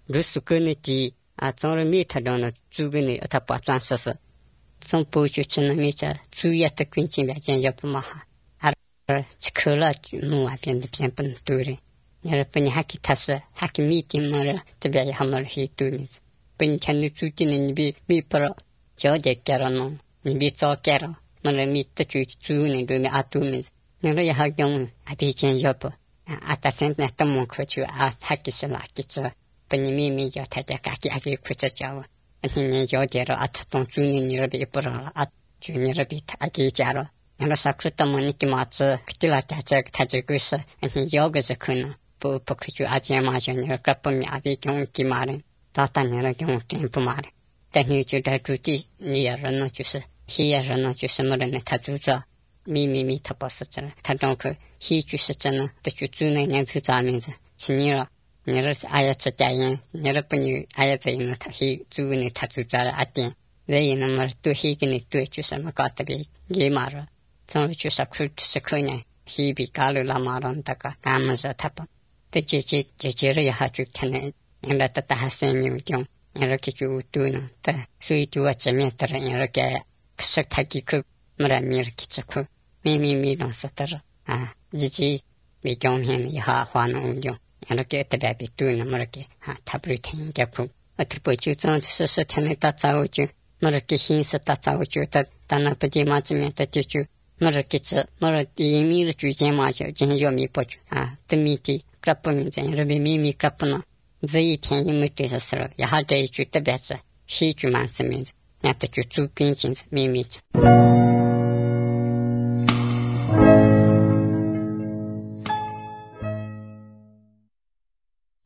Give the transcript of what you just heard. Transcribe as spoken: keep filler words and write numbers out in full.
루스 그네지 아 정말 미타도는 주근이 어다 빠trans스 좀 보여주는 미자 주야트 퀸치 배전 옆마하 아 치클라 누아변데 변분 두리 여러분이 하기 타서 하기 미팅을特别 함을 히투미스 빈 찬니 주지는 비 미퍼 저제께라노 미 저께라 말을 미트 주지 주는 도미 아투미스 내가 하경 아비전 옆 아타센트 나타몬 코치 아 하기슬 하기슬 빈미미 저 타자까기 하기 쿠쳐져 아니 저제로 아타동 주는 일을 이쁘라 아 주니를 아기 자로 내가 사크르타모니키 마츠 그때라 타자 타지고서 아니 여기서 큰 부 포크주 아지마전을 갖범이 아비 경기 말은 다타녀를 경tempo 말은 대니주다 주티 니야르노 주스 히야르노 주스 머르네 타주자 미미미 타버스잖아 타동그 히 주스잖아 대주주네 년스자면서 진이라 니를 아야츠자인 여러분이 아야즈이는 히 주네 타주자라 아띠 제이는 말또 히기니 또 주스마 까타비 게마라 전 주사 쿨트스 그냥 히비 갈라 마론다가 감서 타버 제제 제제를 하주 타네 인라타 하스메미 경 이렇게 주도는 다 수이투와 점에따라 이렇게 그석타기 그 뭐라미 이렇게 찍고 미미미랑 썼더라 아 지지 미경현 하화는 운경 이렇게 대답이 두는 뭐렇게 아 타브리텐 개품 어떻게 보지 좀 스스 타네 따자오주 뭐렇게 힌스 따자오주 다 단나쁘지 맞으면 따지주 뭐렇게 저 뭐렇게 이미를 주제 마셔 진요미 보주 아 뜨미지 그라뿐 이제 미미 그라뿐 저희天이 뜻에서 야하대 주때 배서 시주만 쓰면 나도 주주 빈신 미미죠